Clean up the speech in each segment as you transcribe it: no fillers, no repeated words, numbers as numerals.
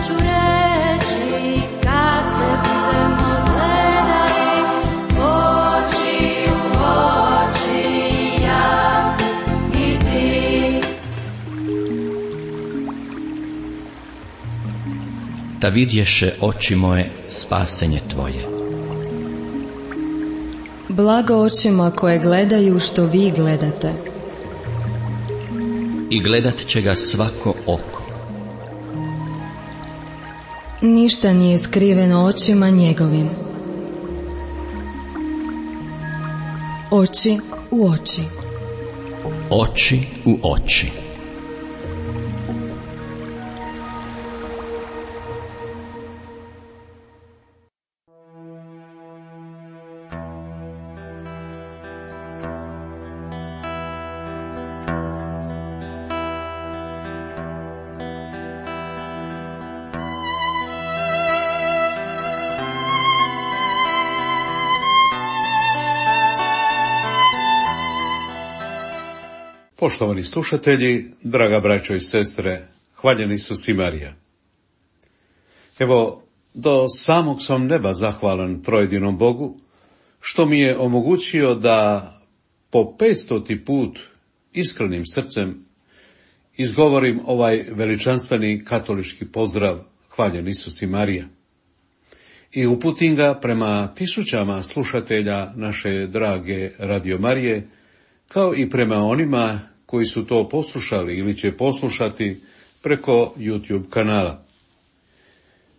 ću reći kad se budemo gledali oči u oči, ja i ti. Da vidješe oči moje spasenje tvoje. Blago očima koje gledaju što vi gledate. I gledat će ga svako oko. Ništa nije skriveno očima njegovim. Oči u oči. Oči u oči. Poštovani slušatelji, draga braćo i sestre, hvaljen Isus i Marija. Evo, do samog sam neba zahvalan trojedinom Bogu, što mi je omogućio da po 500. put iskrenim srcem izgovorim ovaj veličanstveni katolički pozdrav, hvaljen Isus i Marija. I uputim ga prema tisućama slušatelja naše drage Radio Marije, kao i prema onima koji su to poslušali ili će poslušati preko YouTube kanala.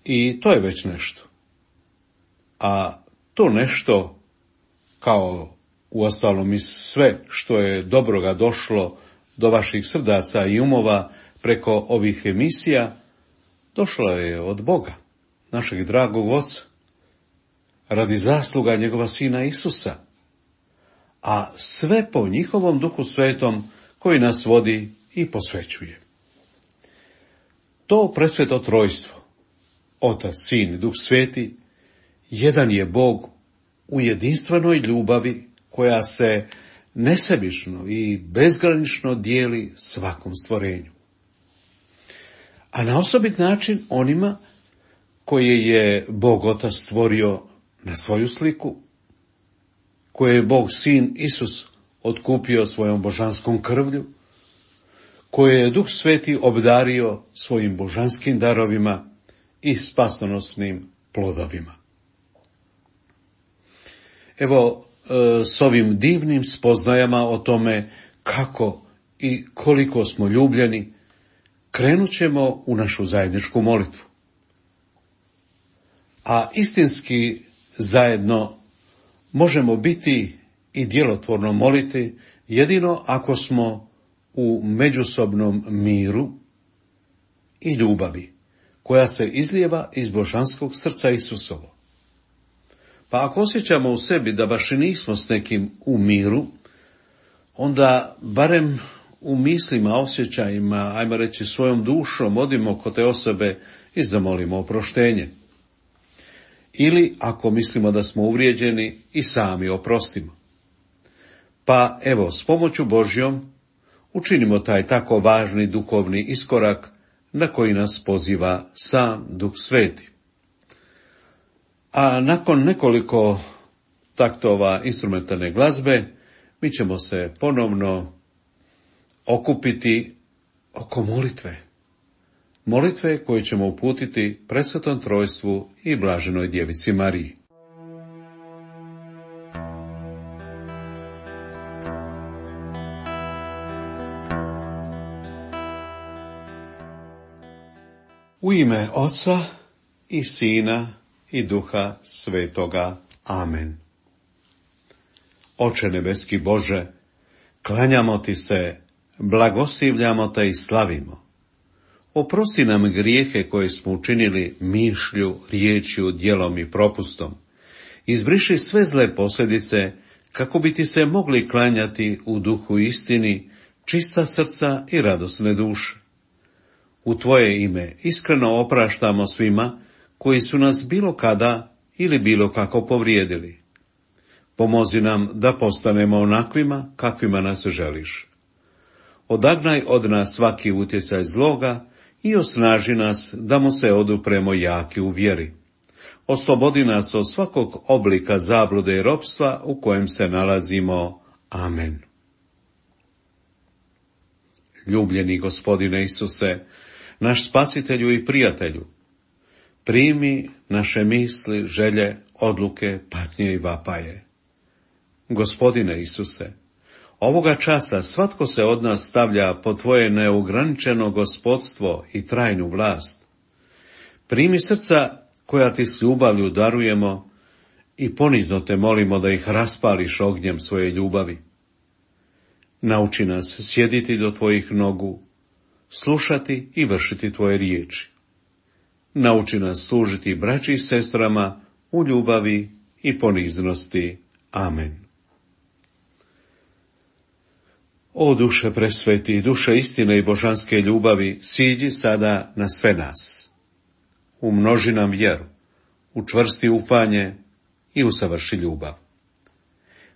I to je već nešto. A to nešto, kao uostalom i sve što je dobroga došlo do vaših srdaca i umova preko ovih emisija, došlo je od Boga, našeg dragog Oca, radi zasluga njegova Sina Isusa, a sve po njihovom Duhu Svetom koji nas vodi i posvećuje. To presveto trojstvo, Otac, Sin i Duh Sveti, jedan je Bog u jedinstvenoj ljubavi koja se nesebično i bezgranično dijeli svakom stvorenju. A na osobit način onima koje je Bog Otac stvorio na svoju sliku, koje je Bog Sin Isus otkupio svojom božanskom krvlju, koje je Duh Sveti obdario svojim božanskim darovima i spasonosnim plodovima. Evo, s ovim divnim spoznajama o tome kako i koliko smo ljubljeni, krenut ćemo u našu zajedničku molitvu. A istinski zajedno možemo biti i djelotvorno moliti jedino ako smo u međusobnom miru i ljubavi koja se izlijeva iz božanskog srca Isusovo. Pa ako osjećamo u sebi da baš i nismo s nekim u miru, onda barem u mislima, osjećajima, ajmo reći svojom dušom, odimo kod te osobe i zamolimo oproštenje. Ili ako mislimo da smo uvrijeđeni i sami oprostimo. Pa evo, s pomoću Božjom učinimo taj tako važni duhovni iskorak na koji nas poziva sam Duh Sveti. A nakon nekoliko taktova instrumentalne glazbe, mi ćemo se ponovno okupiti oko molitve. Molitve koje ćemo uputiti presvetom trojstvu i blaženoj djevici Mariji. U ime Oca i Sina i Duha Svetoga. Amen. Oče nebeski Bože, klanjamo ti se, blagoslivljamo te i slavimo. Oprosti nam grijehe koje smo učinili mišlju, riječju, djelom i propustom. Izbriši sve zle posljedice, kako bi ti se mogli klanjati u duhu istini, čista srca i radosne duše. U tvoje ime iskreno opraštamo svima koji su nas bilo kada ili bilo kako povrijedili. Pomozi nam da postanemo onakvima kakvima nas želiš. Odagnaj od nas svaki utjecaj zloga i osnaži nas da mu se odupremo jaki u vjeri. Oslobodi nas od svakog oblika zablude i ropstva u kojem se nalazimo. Amen. Ljubljeni Gospodine Isuse, naš spasitelju i prijatelju, primi naše misli, želje, odluke, patnje i vapaje. Gospodine Isuse, ovoga časa svatko se od nas stavlja pod tvoje neograničeno gospodstvo i trajnu vlast. Primi srca koja ti s ljubavlju darujemo i ponizno te molimo da ih raspališ ognjem svoje ljubavi. Nauči nas sjediti do tvojih nogu, slušati i vršiti tvoje riječi. Nauči nas služiti braći i sestrama u ljubavi i poniznosti. Amen. O duše presveti, duše istine i božanske ljubavi, siđi sada na sve nas. Umnoži nam vjeru, učvrsti ufanje i usavrši ljubav.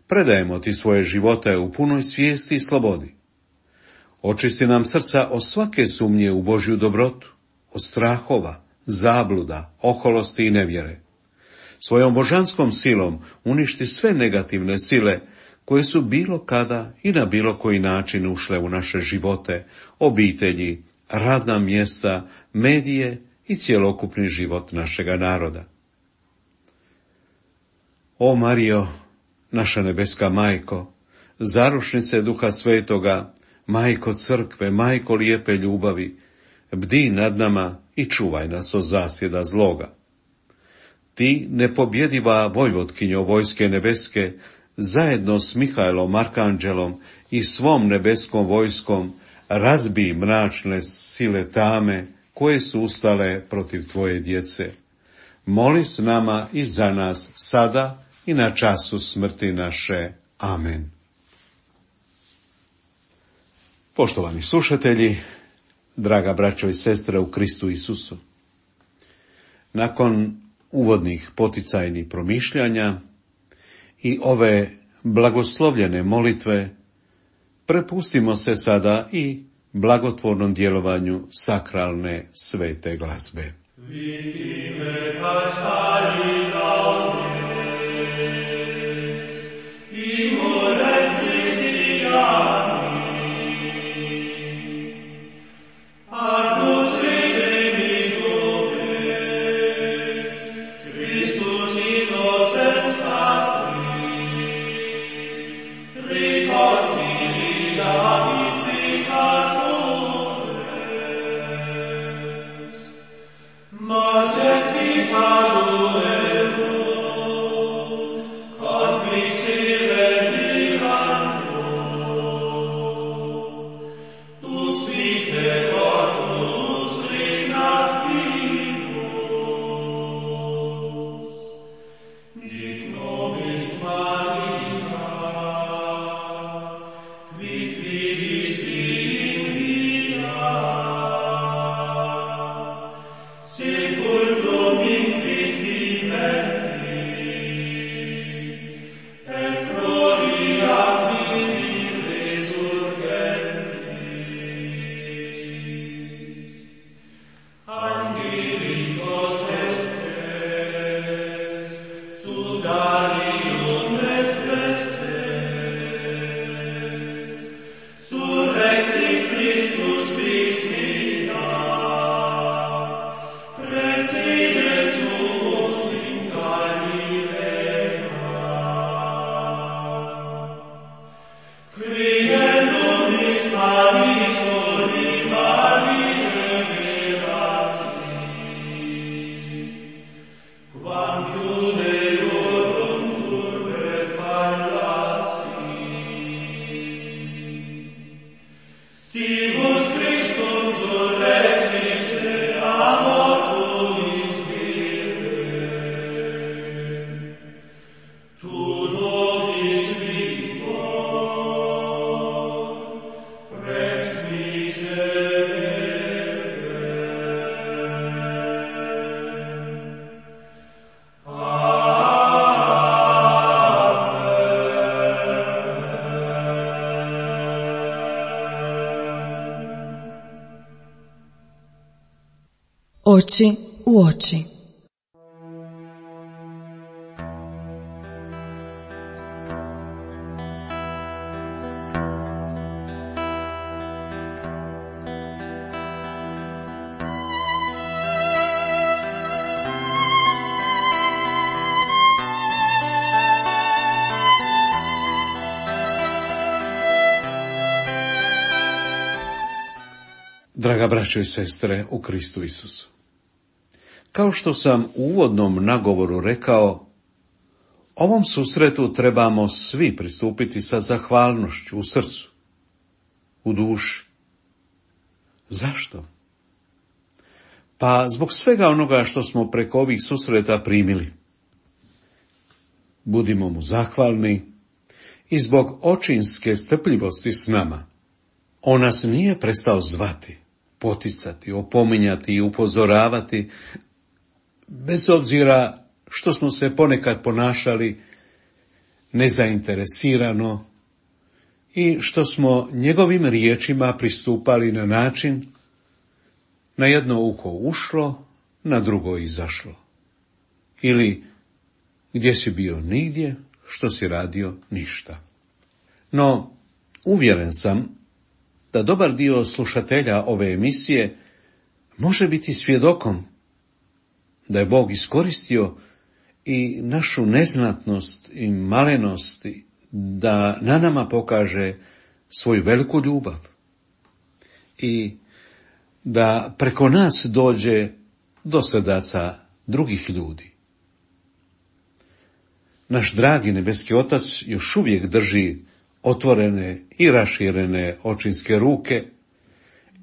Predajemo ti svoje živote u punoj svijesti i slobodi. Očisti nam srca od svake sumnje u Božju dobrotu, od strahova, zabluda, oholosti i nevjere. Svojom božanskom silom uništi sve negativne sile koje su bilo kada i na bilo koji način ušle u naše živote, obitelji, radna mjesta, medije i cjelokupni život našega naroda. O Marijo, naša nebeska majko, zaručnice Duha Svetoga, majko crkve, majko lijepe ljubavi, bdi nad nama i čuvaj nas od zasjeda zloga. Ti, nepobjediva vojvotkinjo vojske nebeske, zajedno s Mihajlom Arkanđelom i svom nebeskom vojskom, razbij mračne sile tame koje su ustale protiv tvoje djece. Moli s nama i za nas sada i na času smrti naše. Amen. Poštovani slušatelji, draga braćo i sestre u Kristu Isusu, nakon uvodnih poticajnih promišljanja i ove blagoslovljene molitve, prepustimo se sada i blagotvornom djelovanju sakralne svete glazbe. Oči u oči. Draga braćo i sestre u Kristu Isusu, kao što sam u uvodnom nagovoru rekao, ovom susretu trebamo svi pristupiti sa zahvalnošću u srcu, u duši. Zašto? Pa zbog svega onoga što smo preko ovih susreta primili. Budimo mu zahvalni i zbog očinske strpljivosti s nama. On nas nije prestao zvati, poticati, opominjati i upozoravati, bez obzira što smo se ponekad ponašali nezainteresirano i što smo njegovim riječima pristupali na način na jedno uho ušlo, na drugo izašlo. Ili gdje si bio nigdje, što si radio ništa. No, uvjeren sam da dobar dio slušatelja ove emisije može biti svjedokom da je Bog iskoristio i našu neznatnost i malenost da na nama pokaže svoju veliku ljubav i da preko nas dođe do srdaca drugih ljudi. Naš dragi nebeski Otac još uvijek drži otvorene i raširene očinske ruke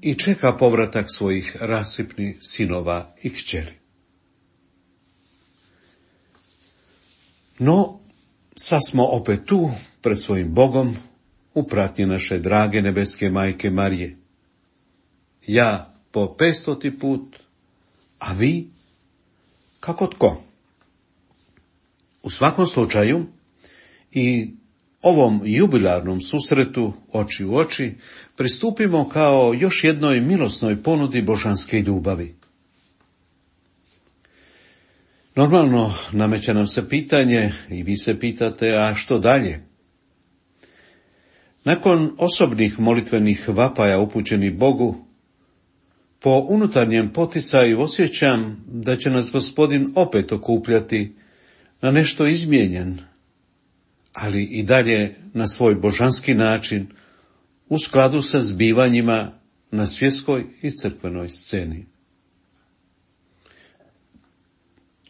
i čeka povratak svojih rasipnih sinova i kćeri. No, sad smo opet tu, pred svojim Bogom, u pratnji naše drage nebeske majke Marije. Ja po 500. put, a vi kako tko. U svakom slučaju, i ovom jubilarnom susretu oči u oči pristupimo kao još jednoj milosnoj ponudi božanske ljubavi. Normalno nameće nam se pitanje i vi se pitate, a što dalje? Nakon osobnih molitvenih vapaja upućenih Bogu, po unutarnjem poticaju osjećam da će nas Gospodin opet okupljati na nešto izmijenjen, ali i dalje na svoj božanski način, u skladu sa zbivanjima na svjetskoj i crkvenoj sceni.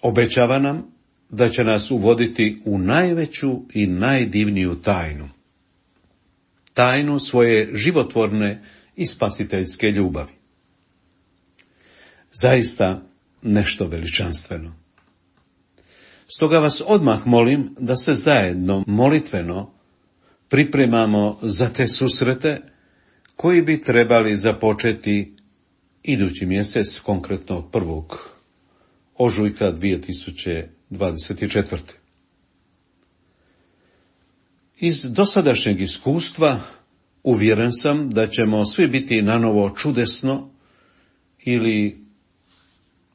Obećava nam da će nas uvoditi u najveću i najdivniju tajnu. Tajnu svoje životvorne i spasiteljske ljubavi. Zaista nešto veličanstveno. Stoga vas odmah molim da se zajedno molitveno pripremamo za te susrete koji bi trebali započeti idući mjesec, konkretno 1. ožujka 2024. Iz dosadašnjeg iskustva uvjeren sam da ćemo svi biti nanovo čudesno ili,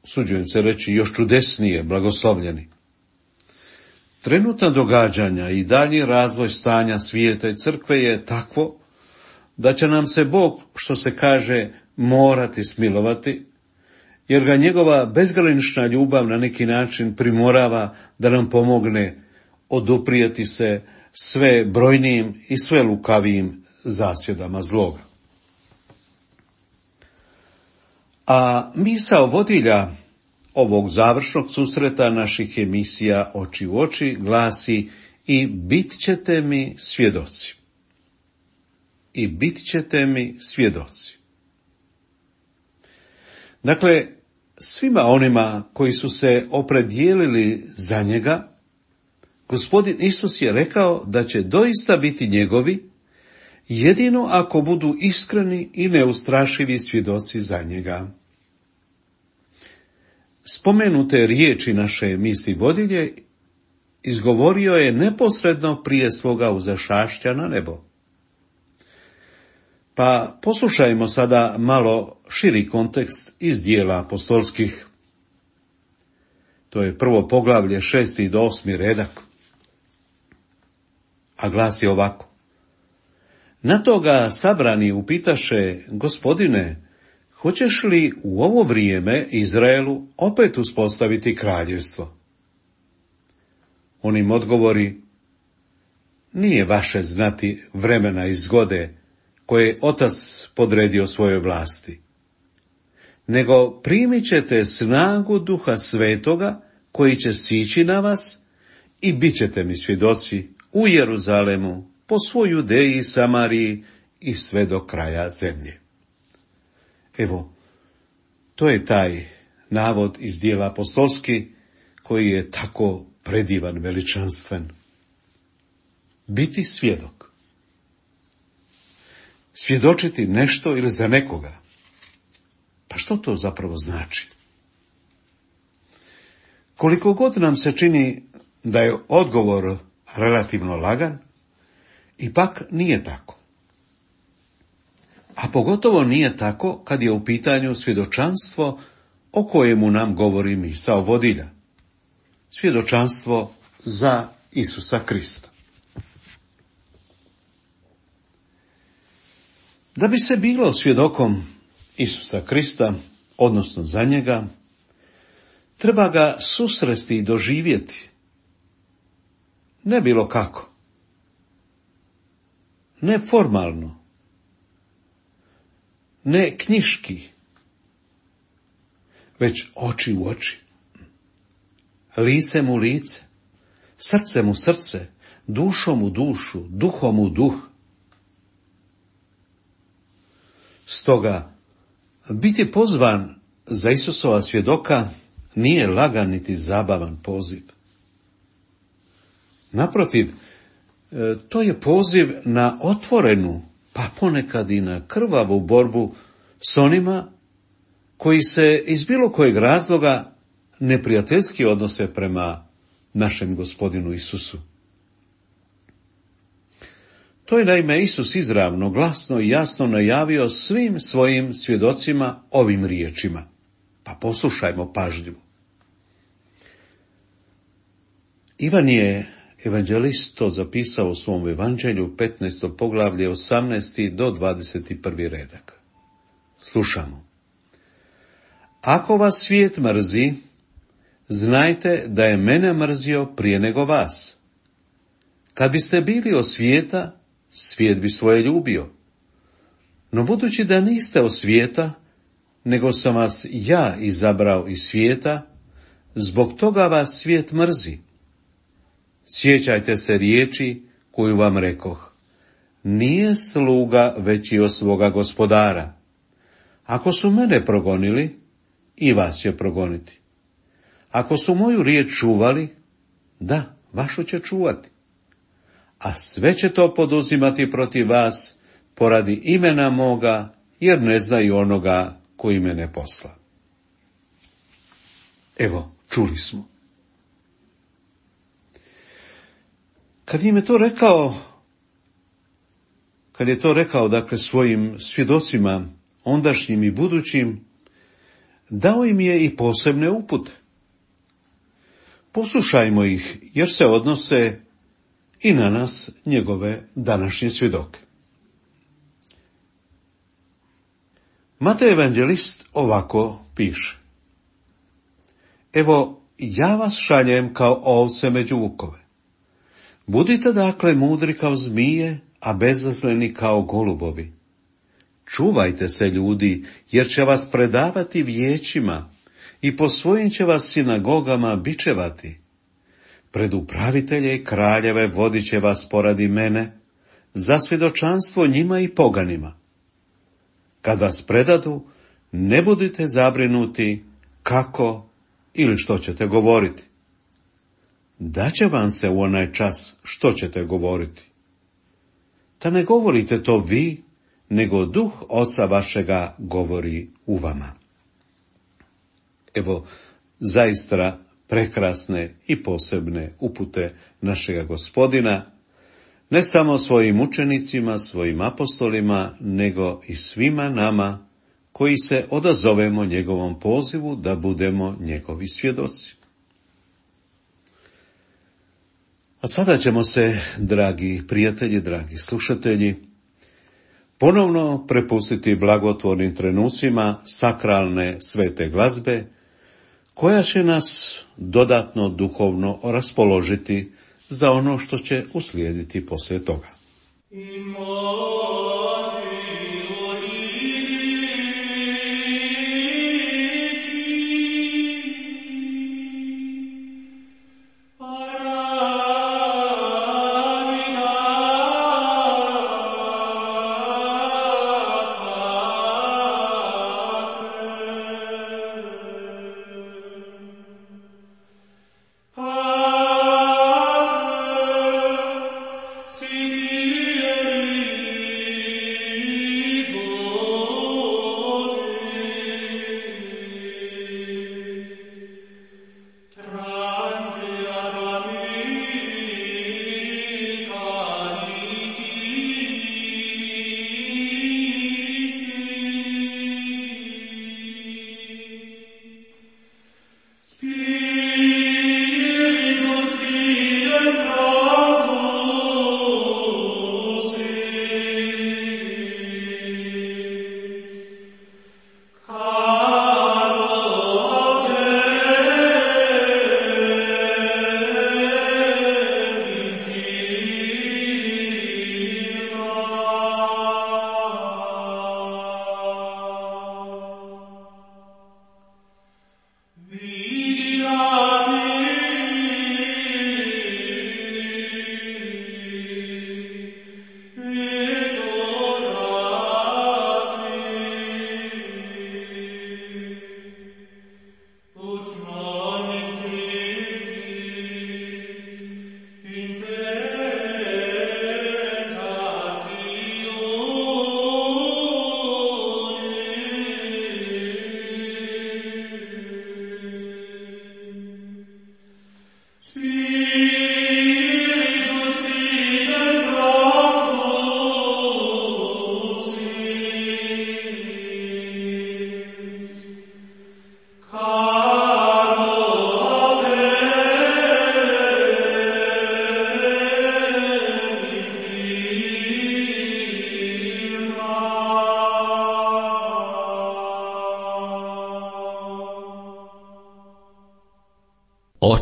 usuđujem se reći, još čudesnije blagoslovljeni. Trenutna događanja i dalji razvoj stanja svijeta i crkve je takvo da će nam se Bog, što se kaže, morati smilovati, jer ga njegova bezgranična ljubav na neki način primorava da nam pomogne oduprijeti se sve brojnijim i sve lukavijim zasjedama zloga. A misao vodilja ovog završnog susreta naših emisija Oči u oči glasi: i bit ćete mi svjedoci. I bit ćete mi svjedoci. Dakle, svima onima koji su se opredijelili za njega, Gospodin Isus je rekao da će doista biti njegovi, jedino ako budu iskreni i neustrašivi svjedoci za njega. Spomenute riječi naše misli vodilje izgovorio je neposredno prije svoga uzašašća na nebo. Pa poslušajmo sada malo širi kontekst iz dijela apostolskih. To je prvo poglavlje 6. do 8. redak. A glasi ovako. Na to ga sabrani upitaše: Gospodine, hoćeš li u ovo vrijeme Izraelu opet uspostaviti kraljevstvo? On im odgovori: Nije vaše znati vremena i zgode koje je Otac podredio svojoj vlasti, nego primit ćete snagu Duha Svetoga koji će sići na vas i bit ćete mi svjedoci u Jeruzalemu, po svoj Judeji i Samariji i sve do kraja zemlje. Evo, to je taj navod iz dijela apostolski koji je tako predivan, veličanstven. Biti svjedok. Svjedočiti nešto ili za nekoga. Pa što to zapravo znači? Koliko god nam se čini da je odgovor relativno lagan, ipak nije tako. A pogotovo nije tako kad je u pitanju svjedočanstvo o kojemu nam govori misao vodilja. Svjedočanstvo za Isusa Krista. Da bi se bilo svjedokom Isusa Krista, odnosno za njega, treba ga susresti i doživjeti. Ne bilo kako. Ne formalno. Ne knjiški. Već oči u oči. Licem u lice. Srcem u srce. Dušom u dušu. Duhom u duh. Stoga, biti pozvan za Isusova svjedoka nije lagan niti zabavan poziv. Naprotiv, to je poziv na otvorenu, pa ponekad i na krvavu borbu s onima koji se iz bilo kojeg razloga neprijateljski odnose prema našem Gospodinu Isusu. To je naime Isus izravno, glasno i jasno najavio svim svojim svjedocima ovim riječima. Pa poslušajmo pažljivo. Ivan je evanđelist to zapisao u svom evanđelju, 15. poglavlje, 18. do 21. redak. Slušamo. Ako vas svijet mrzi, znajte da je mene mrzio prije nego vas. Kad biste bili od svijeta, svijet bi svoje ljubio. No budući da niste od svijeta, nego sam vas ja izabrao iz svijeta, zbog toga vas svijet mrzi. Sjećajte se riječi koju vam rekoh. Nije sluga veći od svoga gospodara. Ako su mene progonili, i vas će progoniti. Ako su moju riječ čuvali, da, vašu će čuvati. A sve će to poduzimati protiv vas poradi imena moga, jer ne znaju onoga koji mene posla. Evo, čuli smo. Kad im je to rekao, dakle, svojim svjedocima, ondašnjim i budućim, dao im je i posebne upute. Poslušajmo ih, jer se odnose i na nas, njegove današnje svjedoke. Matej evanđelist ovako piše. Evo, ja vas šaljem kao ovce među vukove. Budite dakle mudri kao zmije, a bezazleni kao golubovi. Čuvajte se ljudi, jer će vas predavati vijećima i po svojim će vas sinagogama bičevati. Pred upravitelje i kraljeve vodit će vas poradi mene, za svjedočanstvo njima i poganima. Kad vas predadu, ne budite zabrinuti kako ili što ćete govoriti. Daće vam se u onaj čas što ćete govoriti. Ta ne govorite to vi, nego Duh Oca vašega govori u vama. Evo, zaista prekrasne i posebne upute našega Gospodina, ne samo svojim učenicima, svojim apostolima, nego i svima nama koji se odazovemo njegovom pozivu da budemo njegovi svjedoci. A sada ćemo se, dragi prijatelji, dragi slušatelji, ponovno prepustiti blagotvornim trenucima sakralne svete glazbe, koja će nas dodatno duhovno raspoložiti za ono što će uslijediti poslije toga.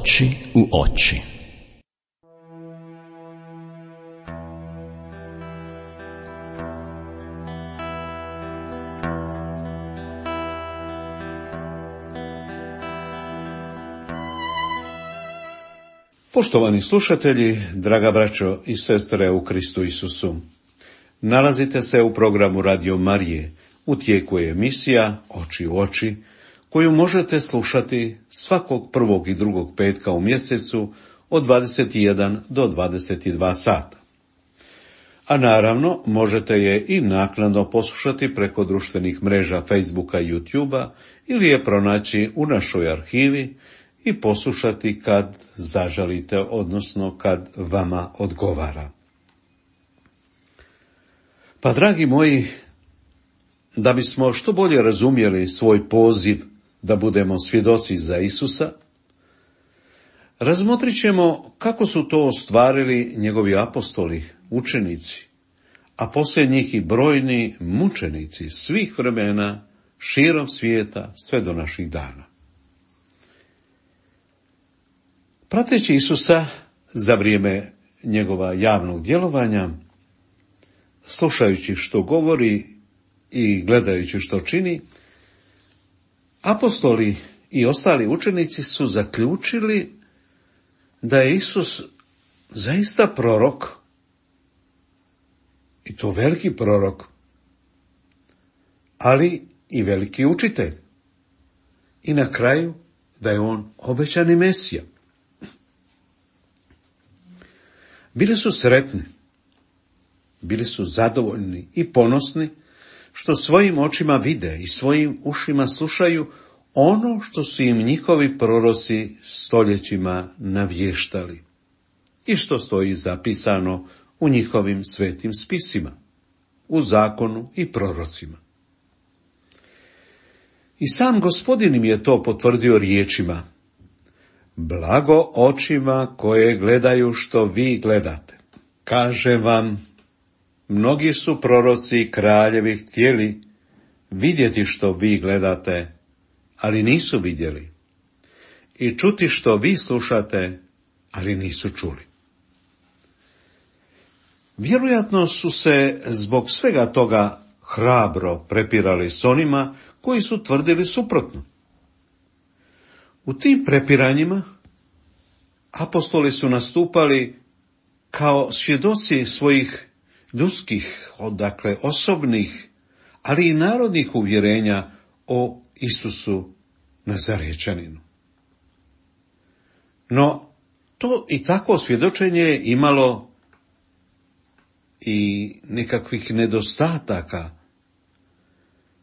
Oči u oči. Poštovani slušatelji, draga braćo i sestre u Kristu Isusu, nalazite se u programu Radio Marije. U tijeku je emisija Oči u oči, koju možete slušati svakog prvog i drugog petka u mjesecu od 21 do 22 sata. A naravno, možete je i naknadno poslušati preko društvenih mreža Facebooka i YouTubea ili je pronaći u našoj arhivi i poslušati kad zaželite, odnosno kad vama odgovara. Pa, dragi moji, da bismo što bolje razumjeli svoj poziv da budemo svjedoci za Isusa, razmotrit ćemo kako su to ostvarili njegovi apostoli, učenici, a poslije njih i brojni mučenici svih vremena, širom svijeta, sve do naših dana. Prateći Isusa za vrijeme njegova javnog djelovanja, slušajući što govori i gledajući što čini, apostoli i ostali učenici su zaključili da je Isus zaista prorok, i to veliki prorok, ali i veliki učitelj. I na kraju da je on obećani Mesija. Bili su sretni, bili su zadovoljni i ponosni što svojim očima vide i svojim ušima slušaju ono što su im njihovi proroci stoljećima navještali i što stoji zapisano u njihovim svetim spisima, u zakonu i prorocima. I sam Gospodin im je to potvrdio riječima: blago očima koje gledaju što vi gledate. Kažem vam, mnogi su proroci i kraljevi htjeli vidjeti što vi gledate, ali nisu vidjeli, i čuti što vi slušate, ali nisu čuli. Vjerojatno su se zbog svega toga hrabro prepirali s onima koji su tvrdili suprotno. U tim prepiranjima apostoli su nastupali kao svjedoci svojih ljudskih, osobnih, ali i narodnih uvjerenja o Isusu Nazarečaninu. No, to i takvo svjedočenje je imalo i nekakvih nedostataka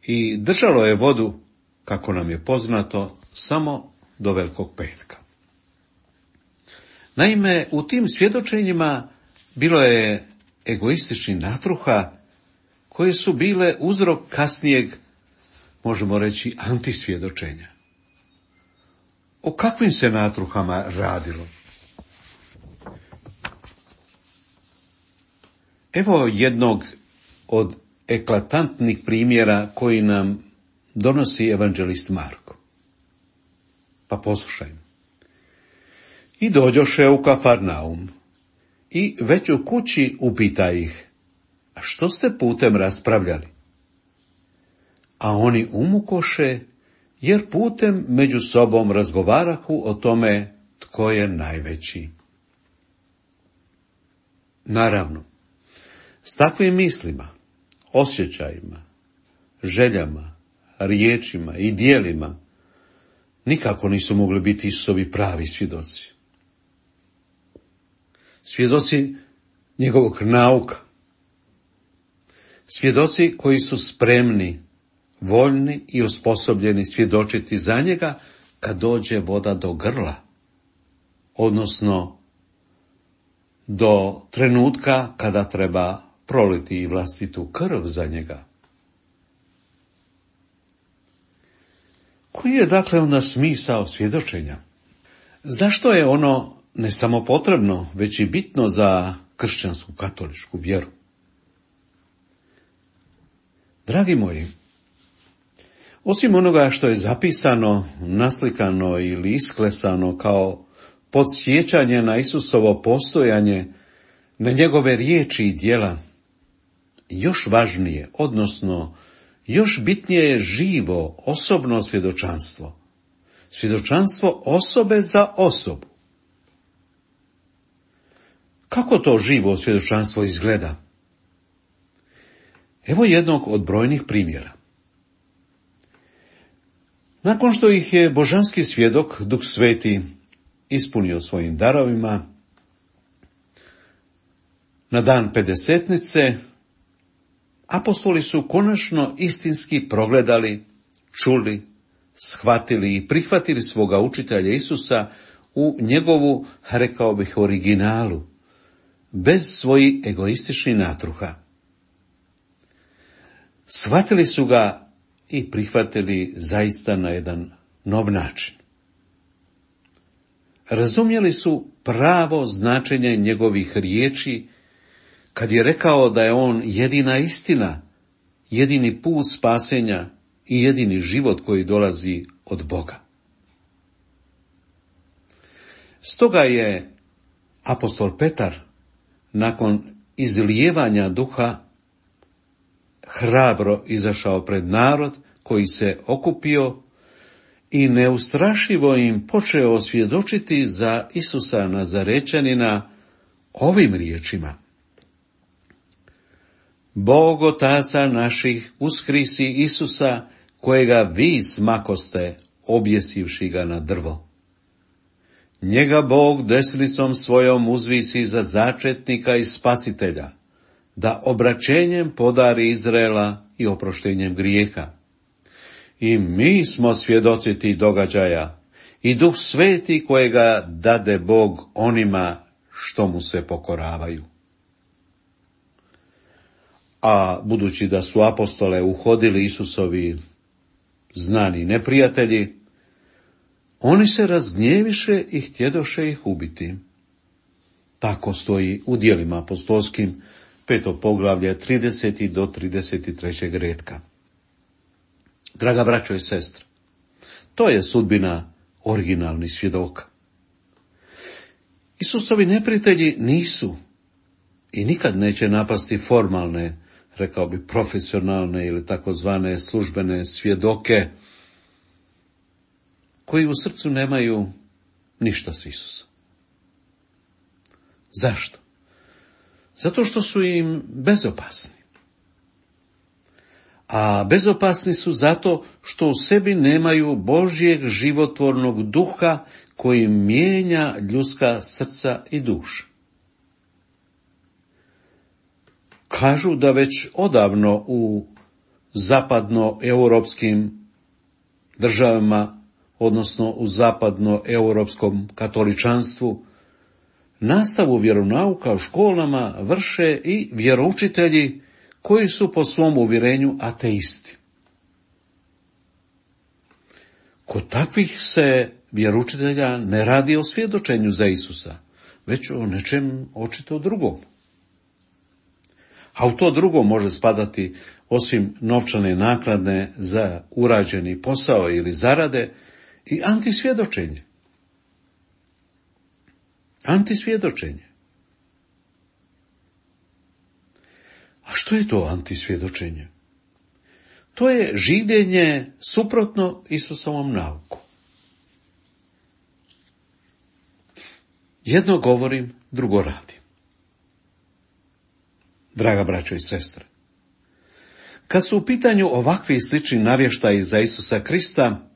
i držalo je vodu, kako nam je poznato, samo do Velikog petka. Naime, u tim svjedočenjima bilo je egoističnih natruha koje su bile uzrok kasnijeg, možemo reći, antisvjedočenja. O kakvim se natruhama radilo? Evo jednog od eklatantnih primjera koji nam donosi evanđelist Marko. Pa poslušajmo. I dođoše u Kafarnaum, i već u kući upita ih: a što ste putem raspravljali? A oni umukoše, jer putem među sobom razgovarahu o tome tko je najveći. Naravno, s takvim mislima, osjećajima, željama, riječima i djelima nikako nisu mogli biti Isusovi pravi svjedoci. Svjedoci njegovog nauka. Svjedoci koji su spremni, voljni i osposobljeni svjedočiti za njega kad dođe voda do grla, odnosno do trenutka kada treba proliti i vlastitu krv za njega. Koji je dakle onda smisao svjedočenja? Zašto je ono ne samo potrebno, već i bitno za kršćansku katoličku vjeru? Dragi moji, osim onoga što je zapisano, naslikano ili isklesano kao podsjećanje na Isusovo postojanje, na njegove riječi i djela, još važnije, odnosno još bitnije je živo, osobno svjedočanstvo. Svjedočanstvo osobe za osobu. Kako to živo svjedočanstvo izgleda? Evo jednog od brojnih primjera. Nakon što ih je božanski svjedok, Duh Sveti, ispunio svojim darovima, na dan Pedesetnice, apostoli su konačno istinski progledali, čuli, shvatili i prihvatili svoga učitelja Isusa u njegovu, rekao bih, originalu, bez svojih egoističnih natruha. Shvatili su ga i prihvatili zaista na jedan nov način. Razumjeli su pravo značenje njegovih riječi kad je rekao da je on jedina istina, jedini put spasenja i jedini život koji dolazi od Boga. Stoga je apostol Petar nakon izlijevanja duha hrabro izašao pred narod koji se okupio i neustrašivo im počeo svjedočiti za Isusa Nazarečanina ovim riječima: Bog Otaca naših uskrisi Isusa, kojega vi smakoste, objesivši ga na drvo. Njega Bog desnicom svojom uzvisi za začetnika i spasitelja, da obraćenjem podari Izraela i oproštenjem grijeha. I mi smo svjedoci tih događaja, i Duh Sveti kojega dade Bog onima što mu se pokoravaju. a budući da su apostole uhodili Isusovi znani neprijatelji, oni se razgnjeviše i htjedoše ih ubiti. Tako stoji u Djelima apostolskim, 5. poglavlje, 30. do 33. retka. Draga braćo i sestre, to je sudbina originalnih svjedoka. Isusovi neprijatelji nisu i nikad neće napasti formalne, rekao bi profesionalne ili takozvane službene svjedoke, koji u srcu nemaju ništa s Isusom. Zašto? Zato što su im bezopasni. A bezopasni su zato što u sebi nemaju Božjeg životvornog duha koji mijenja ljudska srca i duše. Kažu da već odavno u zapadnoeuropskim državama, odnosno u zapadnoeuropskom katoličanstvu, nastavu vjeronauka u školama vrše i vjeroučitelji koji su po svom uvjerenju ateisti. Kod takvih se vjeroučitelja ne radi o svjedočenju za Isusa, već o nečem očito drugom. A u to drugo može spadati, osim novčane naknade za urađeni posao ili zarade, i antisvjedočenje. Antisvjedočenje. A što je to antisvjedočenje? To je življenje suprotno Isusovom nauku. Jedno govorim, drugo radim. Draga braćo i sestre, kad su u pitanju ovakvi slični navještaji za Isusa Krista,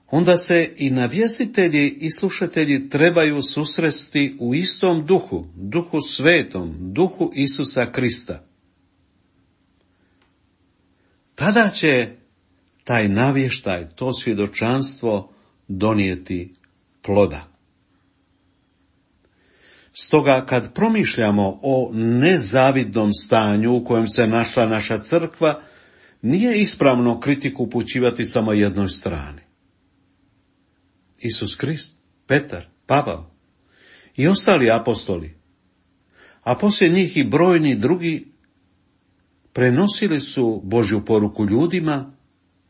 onda se i navjestitelji i slušatelji trebaju susresti u istom duhu, duhu svetom, duhu Isusa Krista. Tada će taj navještaj, to svjedočanstvo donijeti ploda. Stoga kad promišljamo o nezavidnom stanju u kojem se našla naša crkva, nije ispravno kritiku upućivati samo jednoj strani. Isus Krist, Petar, Pavao i ostali apostoli, a poslije njih i brojni drugi, prenosili su Božju poruku ljudima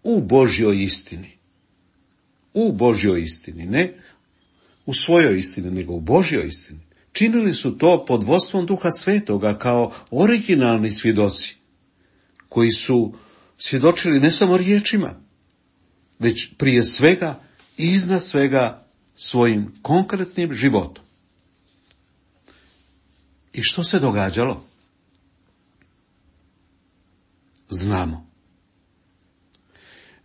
u Božjoj istini. U Božjoj istini, ne u svojoj istini, nego u Božjoj istini. Činili su to pod vodstvom Duha Svetoga kao originalni svjedoci, koji su svjedočili ne samo riječima, već prije svega i iznad svega svojim konkretnim životom. I što se događalo? Znamo.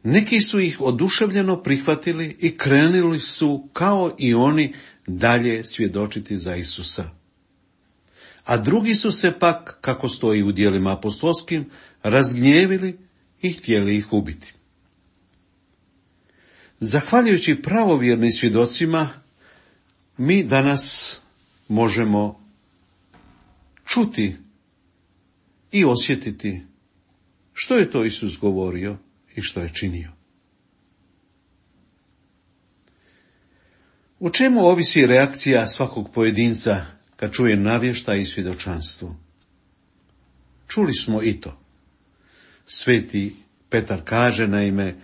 Neki su ih oduševljeno prihvatili i krenuli su kao i oni dalje svjedočiti za Isusa. A drugi su se pak, kako stoji u Djelima apostolskim, razgnjevili i htjeli ih ubiti. Zahvaljujući pravovjernim svjedocima, mi danas možemo čuti i osjetiti što je to Isus govorio i što je činio. U čemu ovisi reakcija svakog pojedinca kad čuje navještaj i svjedočanstvo? Čuli smo i to. Sveti Petar kaže naime: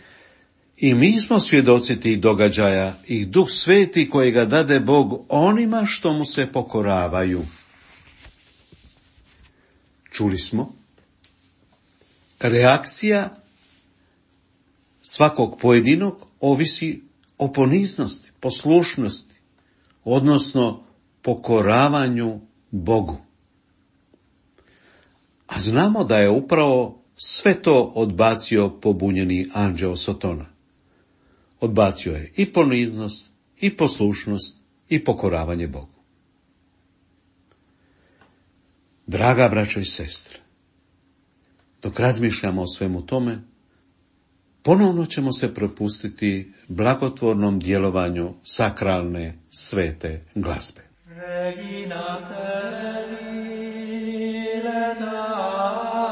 i mi smo svjedoci tih događaja i Duh Sveti kojega dade Bog onima što mu se pokoravaju. Čuli smo. Reakcija svakog pojedinog ovisi o poniznosti, poslušnosti, odnosno pokoravanju Bogu. A znamo da je upravo sve to odbacio pobunjeni anđeo Sotona. Odbacio je i poniznost, i poslušnost, i pokoravanje Bogu. Draga braćo i sestre, dok razmišljamo o svemu tome, ponovno ćemo se prepustiti blagotvornom djelovanju sakralne svete glazbe. Regina celi leta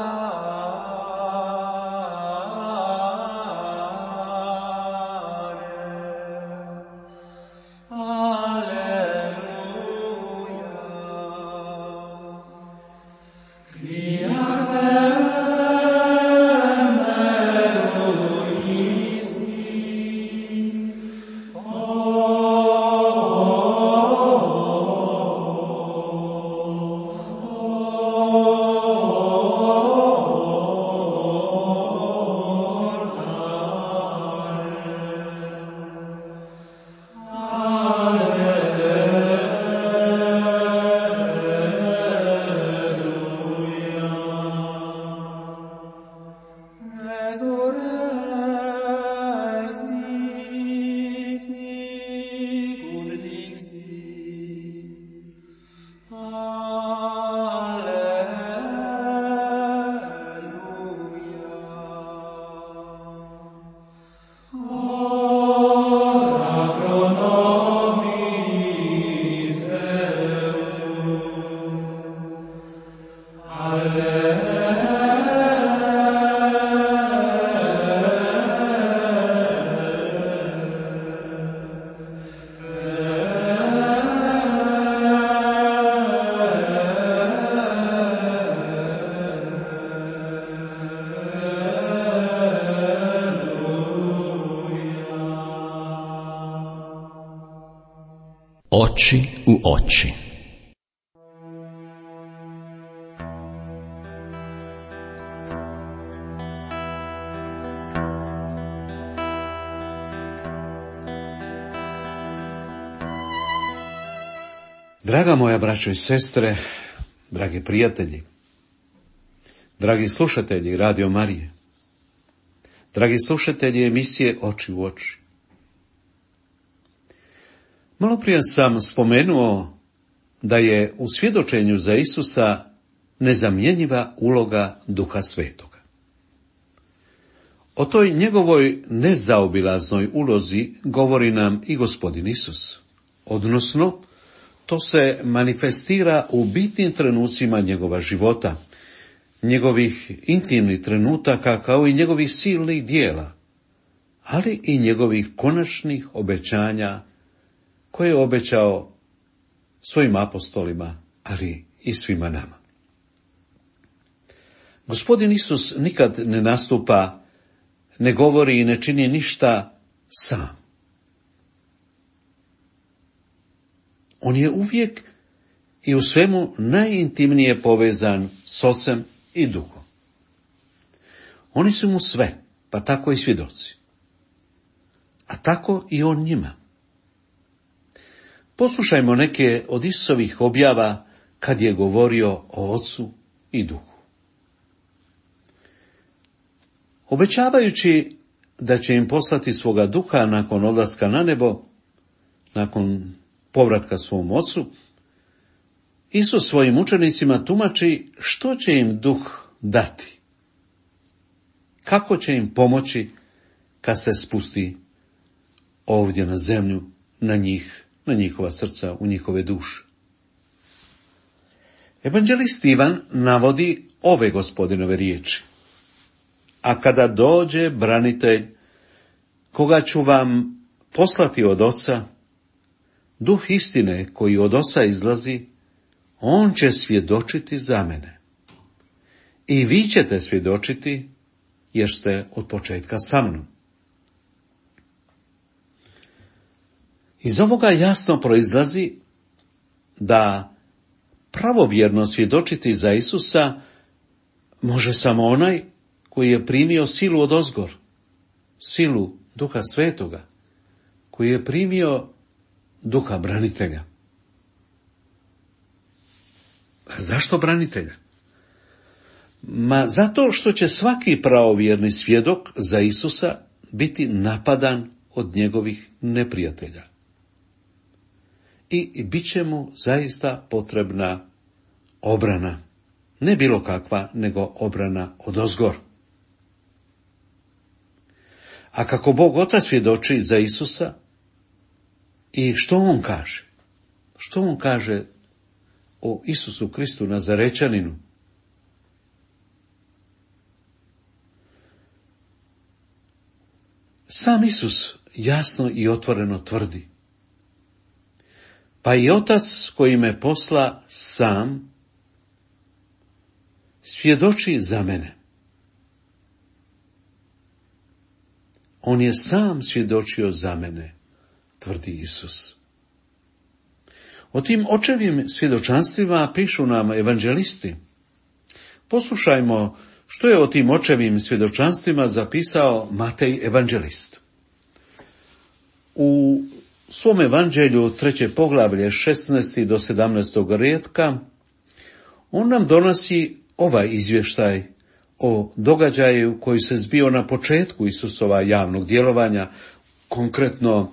Oči u oči. Draga moja braćo i sestre, dragi prijatelji, dragi slušatelji Radio Marije, dragi slušatelji emisije Oči u oči. Maloprije sam spomenuo da je u svjedočenju za Isusa nezamjenjiva uloga Duha Svetoga. O toj njegovoj nezaobilaznoj ulozi govori nam i Gospodin Isus, odnosno to se manifestira u bitnim trenucima njegova života, njegovih intimnih trenutaka kao i njegovih silnih dijela, ali i njegovih konačnih obećanja koje je obećao svojim apostolima, ali i svima nama. Gospodin Isus nikad ne nastupa, ne govori i ne čini ništa sam. On je uvijek i u svemu najintimnije povezan s Ocem i Duhom. Oni su mu sve, pa tako i svjedoci. A tako i on njima. Poslušajmo neke od Isusovih objava kad je govorio o Ocu i Duhu. Obećavajući da će im poslati svoga Duha nakon odlaska na nebo, nakon povratka svom Ocu, Isus svojim učenicima tumači što će im Duh dati, kako će im pomoći kad se spusti ovdje na zemlju, na njih, na njihova srca, u njihove duše. Evanđelist Ivan navodi ove Gospodinove riječi: a kada dođe branitelj, koga ću vam poslati od Oca, Duh istine koji od Oca izlazi, on će svjedočiti za mene. I vi ćete svjedočiti, jer ste od početka sa mnom. Iz ovoga jasno proizlazi da pravovjerno svjedočiti za Isusa može samo onaj koji je primio silu odozgor, silu Duha Svetoga, koji je primio Duha branitelja. A zašto branitelja? Zato što će svaki pravovjerni svjedok za Isusa biti napadan od njegovih neprijatelja. I bit će mu zaista potrebna obrana. Ne bilo kakva, nego obrana odozgor. A kako Bog Otac svjedoči za Isusa, i što on kaže? Što on kaže o Isusu Kristu Nazarečaninu? Sam Isus jasno i otvoreno tvrdi: pa i Otac koji me posla sam svjedoči za mene. On je sam svjedočio za mene, tvrdi Isus. O tim očevim svjedočanstvima pišu nam evanđelisti. Poslušajmo što je o tim očevim svjedočanstvima zapisao Matej evanđelist. U svom evanđelju 3. poglavlje 16. do 17. rijetka on nam donosi ovaj izvještaj o događaju koji se zbio na početku Isusova javnog djelovanja, konkretno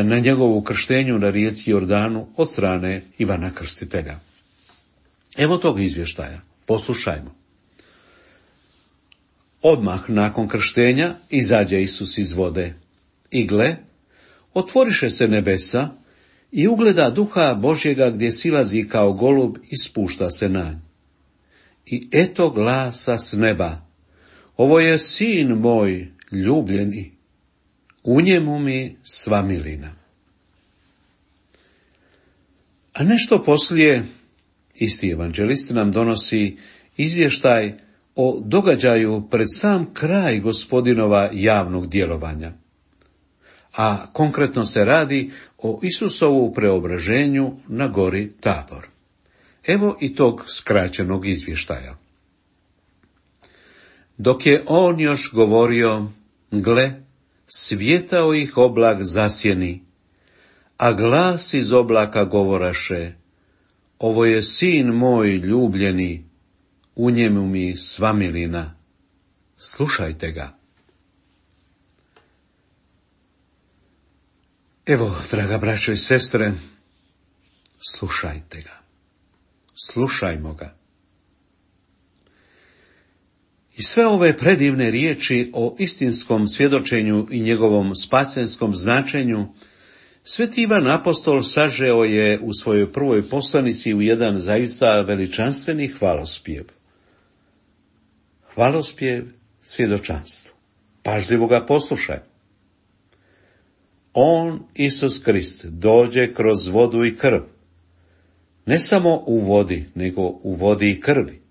na njegovu krštenju na rijeci Jordanu od strane Ivana Krstitelja. Evo tog izvještaja, poslušajmo. Odmah nakon krštenja izađe Isus iz vode i gle, otvoriše se nebesa i ugleda Duha Božjega gdje silazi kao golub i spušta se na nj. I eto glasa s neba: ovo je sin moj ljubljeni, u njemu mi sva milina. A nešto poslije isti evanđelist nam donosi izvještaj o događaju pred sam kraj Gospodinova javnog djelovanja. a konkretno se radi o Isusovu preobraženju na gori Tabor. Evo i tog skraćenog izvještaja. Dok je on još govorio, gle, svjetao ih oblak zasjeni, a glas iz oblaka govoraše, ovo je sin moj ljubljeni, u njemu mi sva milina, slušajte ga. Evo, draga braćo i sestre, slušajte ga. Slušajmo ga. I sve ove predivne riječi o istinskom svjedočenju i njegovom spasenskom značenju Sveti Ivan Apostol sažeo je u svojoj prvoj poslanici u jedan zaista veličanstveni hvalospjev. Hvalospjev svjedočanstvu. Pažljivo ga poslušaj. On, Isus Krist, dođe kroz vodu i krv. Ne samo u vodi, nego u vodi i krvi.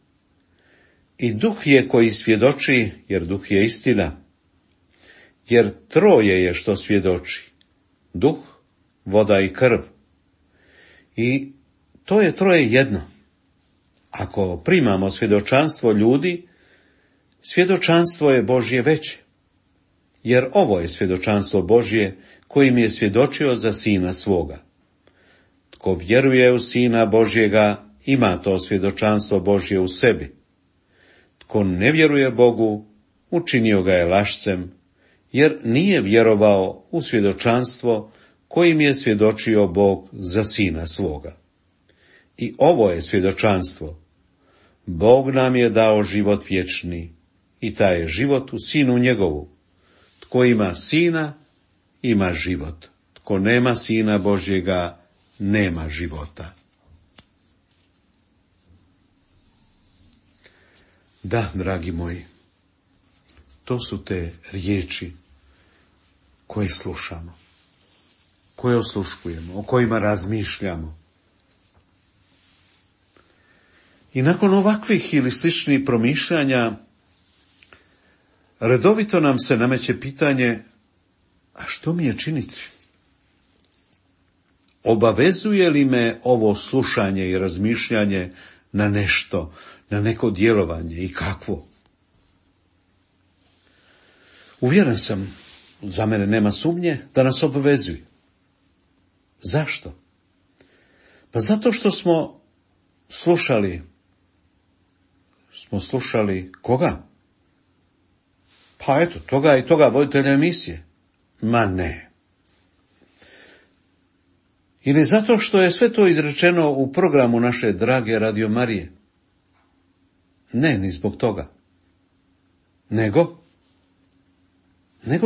I duh je koji svjedoči, jer duh je istina. Jer troje je što svjedoči. Duh, voda i krv. I to je troje jedno. Ako primamo svjedočanstvo ljudi, svjedočanstvo je Božje veće. Jer ovo je svjedočanstvo Božje kojim je svjedočio za Sina svoga. Tko vjeruje u Sina Božjega, ima to svjedočanstvo Božje u sebi. Tko ne vjeruje Bogu, učinio ga je lašcem, jer nije vjerovao u svjedočanstvo kojim je svjedočio Bog za Sina svoga. I ovo je svjedočanstvo. Bog nam je dao život vječni, i taj je život u Sinu njegovu. Tko ima Sina, ima život. Tko nema Sina Božjega, nema života. Da, dragi moji, to su te riječi koje slušamo, koje osluškujemo, o kojima razmišljamo. I nakon ovakvih ili sličnih promišljanja, redovito nam se nameće pitanje, a što mi je činiti? Obavezuje li me ovo slušanje i razmišljanje na nešto, na neko djelovanje i kakvo? Uvjeren sam, za mene nema sumnje, da nas obvezuje. Zašto? Pa zato što smo slušali koga? Pa eto, toga i toga voditelja emisije. Ma ne. Ili zato što je sve to izrečeno u programu naše drage Radio Marije. Ne, ni zbog toga. Nego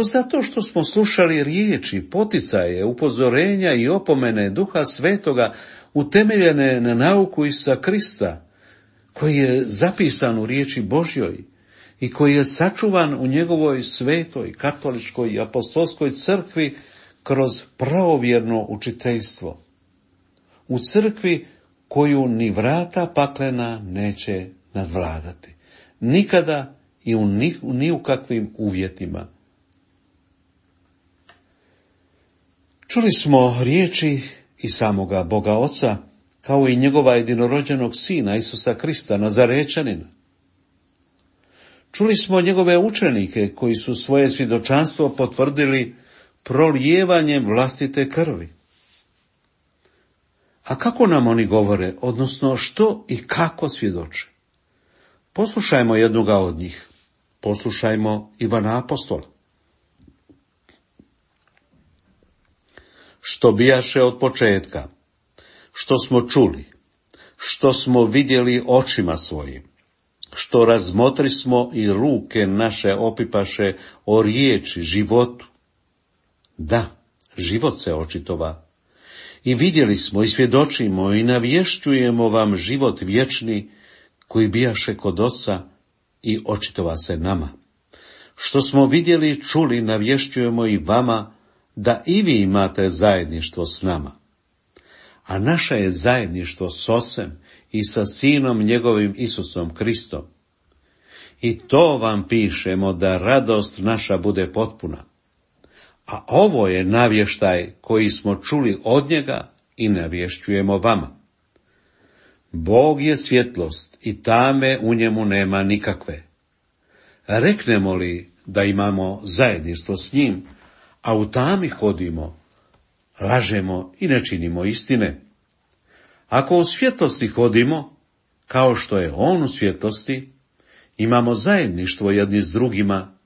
zato što smo slušali riječi, poticaje, upozorenja i opomene Duha Svetoga utemeljene na nauku Isusa Krista, koji je zapisan u riječi Božjoj i koji je sačuvan u njegovoj svetoj, katoličkoj i apostolskoj crkvi kroz pravovjerno učiteljstvo. U crkvi koju ni vrata paklena neće nadvladati. Nikada i ni u kakvim uvjetima. Čuli smo riječi i samoga Boga Oca, kao i njegova jedinorođenog Sina Isusa Krista, Nazarečanina. Čuli smo njegove učenike koji su svoje svjedočanstvo potvrdili prolijevanjem vlastite krvi. A kako nam oni govore, odnosno što i kako svjedoče? Poslušajmo jednoga od njih. Poslušajmo Ivana Apostola. Što bijaše od početka, što smo čuli, što smo vidjeli očima svojim, što razmotrismo i ruke naše opipaše o riječi, životu. Da, život se očitova. I vidjeli smo i svjedočimo i navješćujemo vam život vječni koji bijaše kod Oca i očitova se nama. Što smo vidjeli, čuli, navješćujemo i vama da i vi imate zajedništvo s nama. A naše je zajedništvo s Ocem i sa Sinom njegovim Isusom Kristom. I to vam pišemo da radost naša bude potpuna. a ovo je navještaj koji smo čuli od njega i navješćujemo vama. Bog je svjetlost i tame u njemu nema nikakve. Reknemo li da imamo zajedništvo s njim, a u tami hodimo, lažemo i ne činimo istine. Ako u svjetlosti hodimo, kao što je on u svjetlosti, imamo zajedništvo jedni s drugima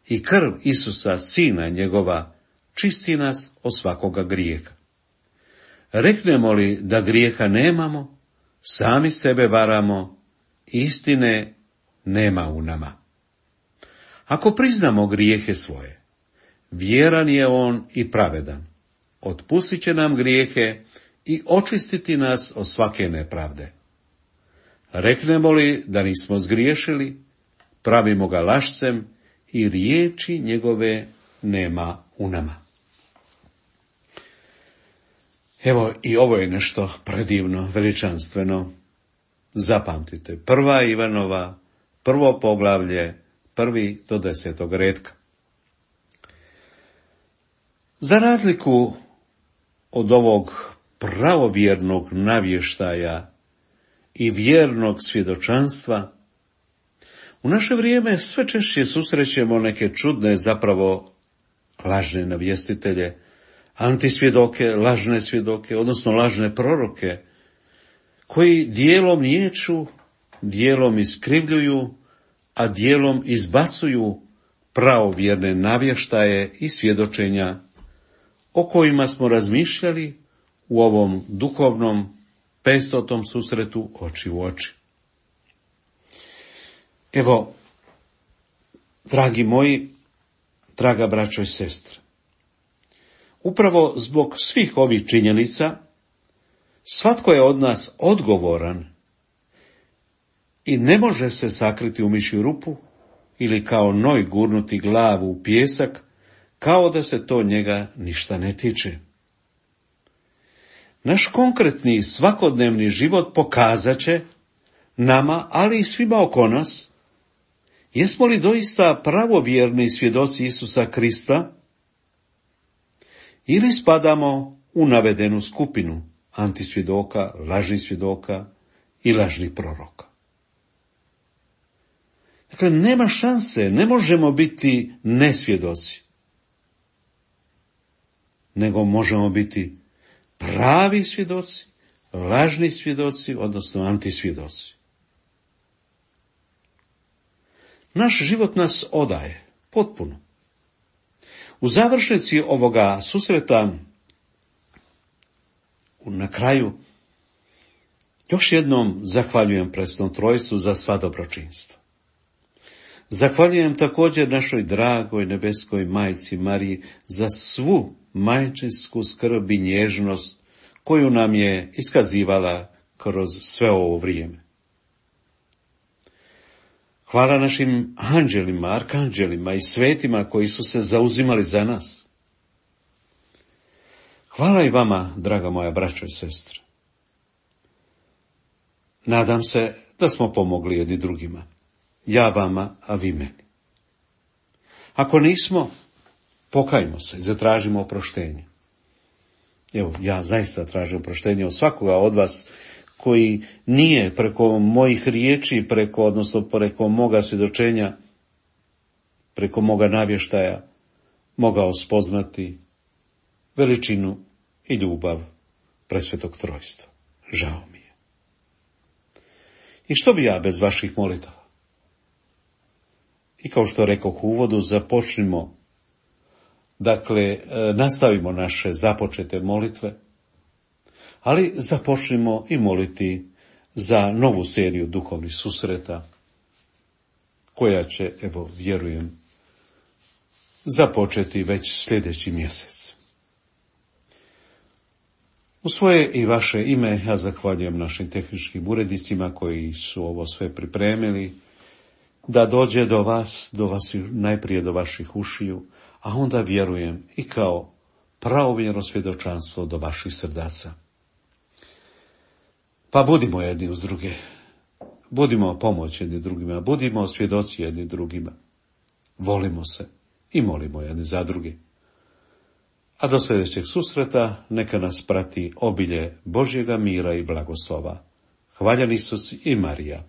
i krv Isusa, sina njegova, čisti nas od svakoga grijeha. Reknemo li da grijeha nemamo, sami sebe varamo, istine nema u nama. Ako priznamo grijehe svoje, vjeran je on i pravedan, otpustit će nam grijehe i očistiti nas od svake nepravde. Reknemo li da nismo zgriješili, pravimo ga lašcem i riječi njegove nema u nama. Evo, i ovo je nešto predivno, veličanstveno. Zapamtite, 1. Ivanova, 1. poglavlje, 1. do 10. retka. Za razliku od ovog pravovjernog navještaja i vjernog svjedočanstva, u naše vrijeme sve češće susrećemo neke čudne, zapravo lažne navjestitelje, antisvjedoke, lažne svjedoke, odnosno lažne proroke, koji dijelom niječu, dijelom iskrivljuju, a dijelom izbacuju pravovjerne navještaje i svjedočenja o kojima smo razmišljali u ovom duhovnom 500. susretu oči u oči. Evo, dragi moji, draga braćo i sestre, upravo zbog svih ovih činjenica, svatko je od nas odgovoran i ne može se sakriti u mišju rupu ili kao noj gurnuti glavu u pijesak, kao da se to njega ništa ne tiče. Naš konkretni svakodnevni život pokazat će nama, ali i svima oko nas, jesmo li doista pravovjerni svjedoci Isusa Krista ili spadamo u navedenu skupinu antisvjedoka, lažnih svjedoka i lažnih proroka. Dakle, nema šanse, ne možemo biti nesvjedoci, nego možemo biti pravi svjedoci, lažni svjedoci, odnosno antisvjedoci. Naš život nas odaje, potpuno. U završnici ovoga susreta, na kraju, još jednom zahvaljujem Presvetom Trojstvu za sva dobročinstva. Zahvaljujem također našoj dragoj nebeskoj majci Mariji za svu majčinsku skrb i nježnost koju nam je iskazivala kroz sve ovo vrijeme. Hvala našim anđelima, arkanđelima i svetima koji su se zauzimali za nas. Hvala i vama, draga moja braćo i sestre. Nadam se da smo pomogli jedni drugima. Ja vama, a vi meni. Ako nismo, pokajmo se i zatražimo oproštenje. Evo, ja zaista tražim oproštenje od svakoga od vas koji nije preko mojih riječi, preko moga svjedočenja, preko moga navještaja, mogao spoznati veličinu i ljubav Presvetog Trojstva. Žao mi je. I što bi ja bez vaših molitava? I kao što rekoh u uvodu, započnimo, nastavimo naše započete molitve, ali započnimo i moliti za novu seriju duhovnih susreta, koja će, vjerujem, započeti već sljedeći mjesec. U svoje i vaše ime ja zahvaljujem našim tehničkim urednicima koji su ovo sve pripremili, da dođe do vas, najprije do vaših ušiju, a onda vjerujem i kao pravovjerno svjedočanstvo do vaših srdaca. Pa budimo jedni uz druge, budimo pomoć jedni drugima, budimo svjedoci jedni drugima, volimo se i molimo jedni za druge. A do sljedećeg susreta neka nas prati obilje Božjega mira i blagoslova. Hvaljen Isus i Marija.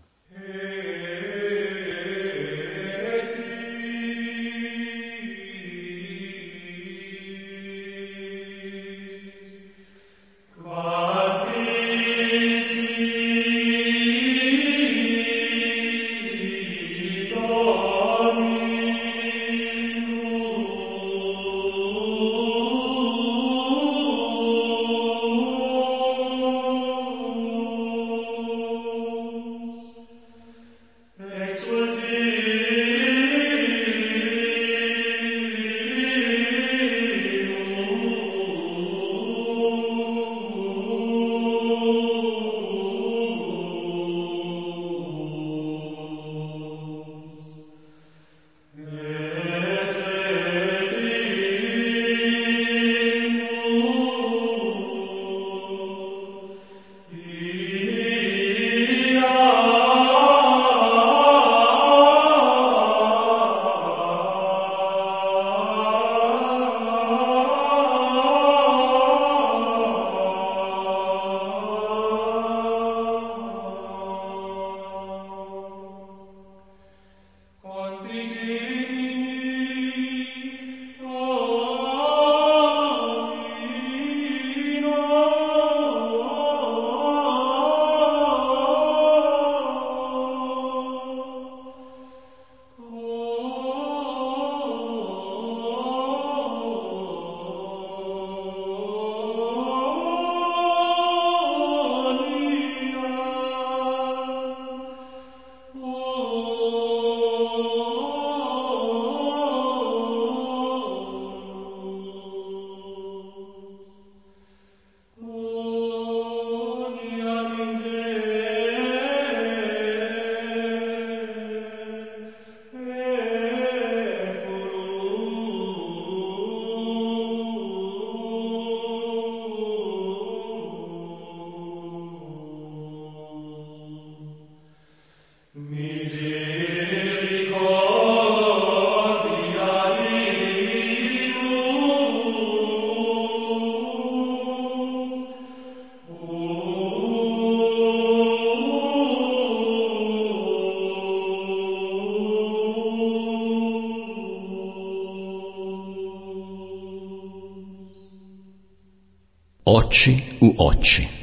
Oči u oči.